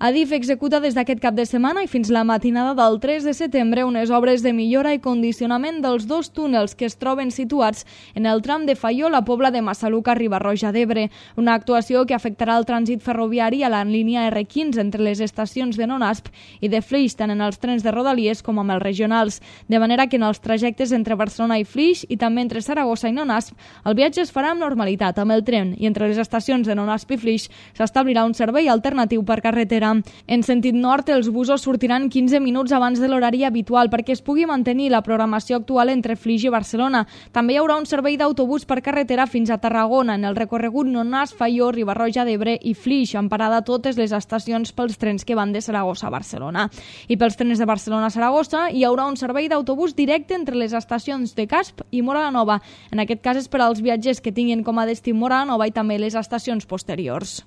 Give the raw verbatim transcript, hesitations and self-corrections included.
Adif executa des d'aquest cap de setmana i fins la matinada del tres de setembre unes obres de millora i condicionament dels dos túnels que es troben situats en el tram de Faió, la Pobla de Massaluca, Riba-roja d'Ebre. Una actuació que afectarà el trànsit ferroviari a la línia erre quinze entre les estacions de Nonasp i de Flix, tant en els trens de Rodalies com amb els regionals. De manera que en els trajectes entre Barcelona i Flix i també entre Saragossa i Nonasp, el viatge es farà amb normalitat amb el tren i entre les estacions de Nonasp i Flix s'establirà un servei alternatiu per carretera. En sentit nord, els busos sortiran quinze minuts abans de l'horari habitual perquè es pugui mantenir la programació actual entre Flix i Barcelona. També hi haurà un servei d'autobús per carretera fins a Tarragona en el recorregut Nonasp, Faió, Riba-roja d'Ebre i Flix, amb parada a totes les estacions pels trens que van de Saragossa a Barcelona. I pels trens de Barcelona a Saragossa hi haurà un servei d'autobús directe entre les estacions de Casp i Móra la Nova. En aquest cas és per als viatgers que tinguin com a destí Móra la Nova i també les estacions posteriors.